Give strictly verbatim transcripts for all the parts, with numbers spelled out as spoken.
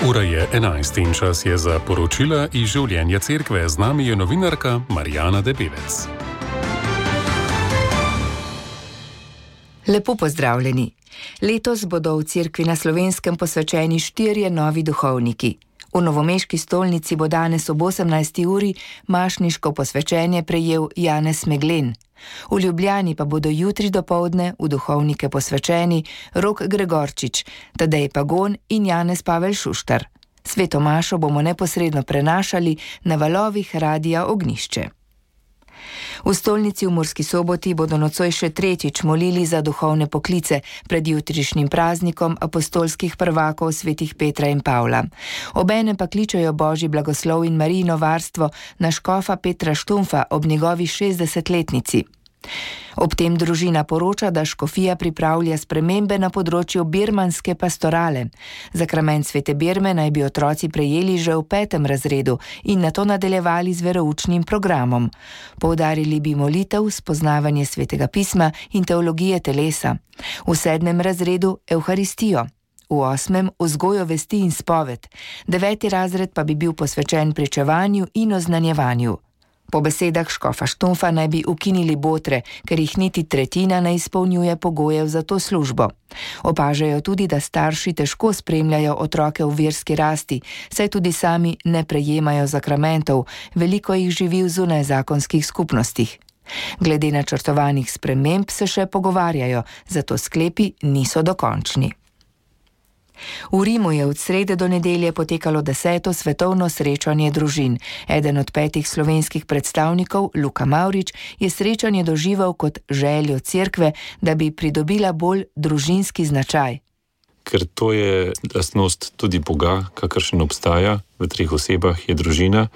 Ura je enajst in čas je za poročila iz življenja cerkve. Z nami je novinarka Marijana Debevec. Lepo pozdravljeni. Letos bodo v cerkvi na Slovenskem posvečeni štirje novi duhovniki. V novomeški stolnici bo danes ob osemnajsti uri mašniško posvečenje prejel Janez Meglen. V Ljubljani pa bodo jutri dopoldne v duhovnike posvečeni Rok Gregorčič, Tadej Pagon in Janez Pavel Šuštar. Sveto mašo bomo neposredno prenašali na valovih Radia Ognjišče. V stolnici v Murski Soboti bodo nocoj še tretjič molili za duhovne poklice pred jutrišnjim praznikom apostolskih prvakov svetih Petra in Pavla. Obenem pa kličejo Božji blagoslov in Marijino varstvo na škofa Petra Štumfa ob njegovi šestdesetletnici. Ob tem družina poroča, da škofija pripravlja spremembe na področju birmanske pastorale. Zakrament svete birme naj bi otroci prejeli že v petem razredu in nato nadaljevali z veroučnim programom. Poudarili bi molitev, spoznavanje svetega pisma in teologije telesa. V sedmem razredu evharistijo. V osmem vzgojo vesti in spoved. Deveti razred pa bi bil posvečen pričevanju in oznanjevanju. Po besedah škofa Štumfa naj bi ukinili botre, ker jih niti tretjina ne izpolnjuje pogojev za to službo. Opažajo tudi, da starši težko spremljajo otroke v verski rasti, saj tudi sami ne prejemajo zakramentov, veliko jih živi v zunajzakonskih skupnostih. Glede načrtovanih sprememb se še pogovarjajo, zato sklepi niso dokončni. V Rimu je od srede do nedelje potekalo deseto svetovno srečanje družin. Eden od petih slovenskih predstavnikov, Luka Mavrič, je srečanje doživel kot željo cerkve, da bi pridobila bolj družinski značaj. Ker to je lastnost tudi Boga, kakršen obstaja v treh osebah, je družina.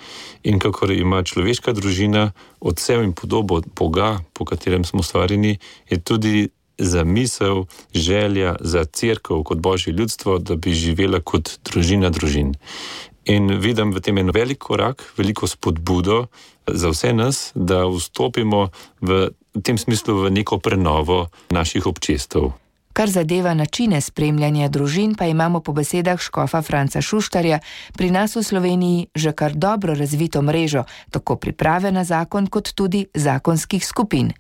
In kakor ima človeška družina odsev in podobo Boga, po katerem smo stvarjeni, je tudi zamisel, želja za cerkev kot Božje ljudstvo, da bi živela kot družina družin. In vidim v tem en velik korak, veliko spodbudo za vse nas, da vstopimo v tem smislu v neko prenovo naših občestev. Kar zadeva načine spremljanja družin, pa imamo po besedah škofa Franca Šuštarja pri nas v Sloveniji že kar dobro razvito mrežo, tako priprave na zakon kot tudi zakonskih skupin.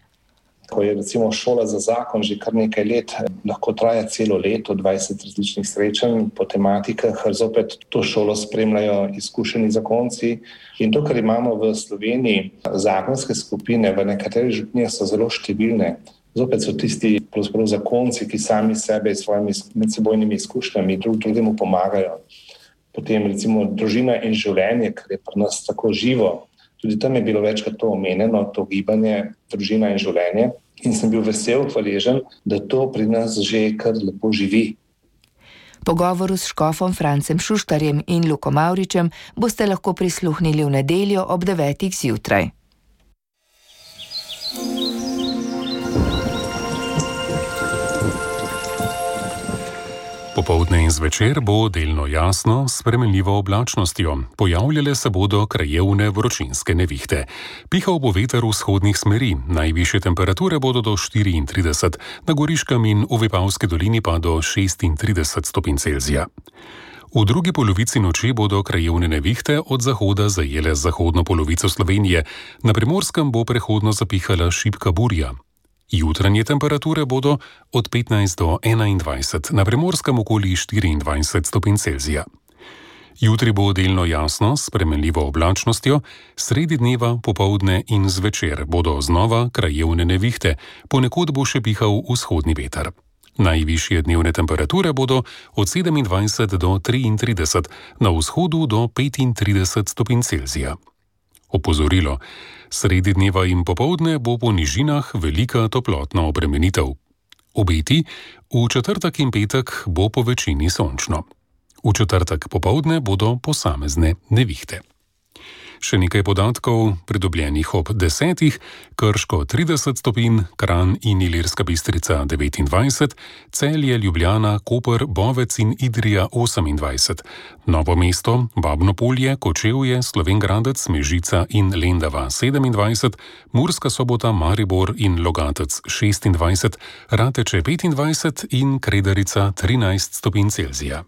Ko je recimo šola za zakon že kar nekaj let, lahko traja celo leto, dvajset različnih srečanj po tematikah, zopet to šolo spremljajo izkušeni zakonci. In to, kar imamo v Sloveniji, zakonske skupine, v nekaterih župnijah so zelo številne. Zopet so tisti pravzaprav zakonci, ki sami sebe s svojimi medsebojnimi izkušnjami drug drugemu pomagajo. Potem recimo družina in življenje, kar je pri nas tako živo. Tudi tam je bilo večkrat to omenjeno, to gibanje, družina in življenje. In sem bil vesel, hvaležen, da to pri nas že kar lepo živi. Pogovoru s škofom Francem Šuštarjem in Luko Mavričem boste lahko prisluhnili v nedeljo ob devetih zjutraj. Popoldne in zvečer bo delno jasno s spremenljivo oblačnostjo. Pojavljale se bodo krajevne vročinske nevihte. Pihal bo veter vzhodnih smeri, najvišje temperature bodo do štiriintrideset, na Goriškem in v Vipavski dolini pa do šestintrideset stopinj Celzija. V drugi polovici noči bodo krajevne nevihte od zahoda zajele zahodno polovico Slovenije. Na Primorskem bo prehodno zapihala šibka burja. Jutranje temperature bodo od petnajst do enaindvajset, na Primorskem okoli štiriindvajset stopinj Celzija. Jutri bo delno jasno s spremenljivo oblačnostjo, sredi dneva, popoldne in zvečer bodo znova krajevne nevihte, ponekod bo še pihal vzhodni veter. Najvišje dnevne temperature bodo od sedemindvajset do triintrideset, na vzhodu do petintrideset stopinj Celzija. Opozorilo. Sredi dneva in popoldne bo po nižinah velika toplotna obremenitev. Obeti, v četrtek in petek bo po večini sončno. V četrtek popoldne bodo posamezne nevihte. Še nekaj podatkov, pridobljenih ob desetih, Krško trideset stopinj, Kranj in Ilirska Bistrica devetindvajset, Celje, Ljubljana, Koper, Bovec in Idrija osemindvajset, Novo mesto, Babno Polje, Kočevje, Slovenj Gradec, Mežica in Lendava sedemindvajset, Murska Sobota, Maribor in Logatec šestindvajset, Rateče petindvajset in Kredarica trinajst stopinj Celzija.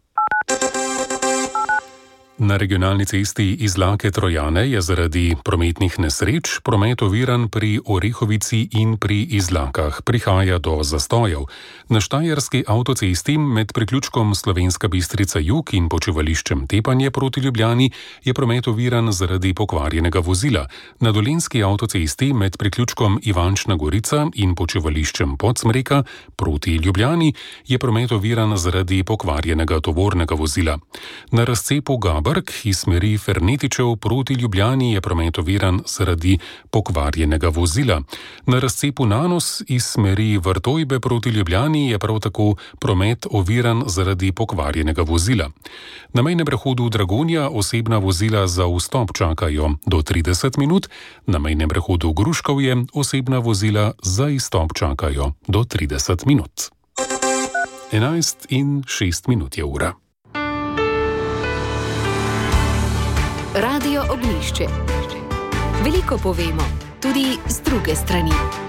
Na regionalni cesti Izlake Trojane je zaradi prometnih nesreč promet oviran pri Orehovici in pri Izlakah. Prihaja do zastojev. Na štajerski avtocesti med priključkom Slovenska Bistrica Jug in počivališčem Tepanje proti Ljubljani je promet oviran zaradi pokvarjenega vozila. Na dolenjski avtocesti med priključkom Ivančna Gorica in počivališčem Podsmreka proti Ljubljani je promet oviran zaradi pokvarjenega tovornega vozila. Na razcepu Gabrk iz smeri Fernetičev proti Ljubljani je promet oviran zaradi pokvarjenega vozila. Na razcepu Nanos iz smeri Vrtojbe proti Ljubljani je prav tako promet oviran zaradi pokvarjenega vozila. Na mejnem prehodu Dragonja osebna vozila za vstop čakajo do trideset minut, na mejnem prehodu Gruškovje osebna vozila za izstop čakajo do trideset minut. enajst in šest minut je ura. Radio Ognjišče. Veliko povemo, tudi z druge strani.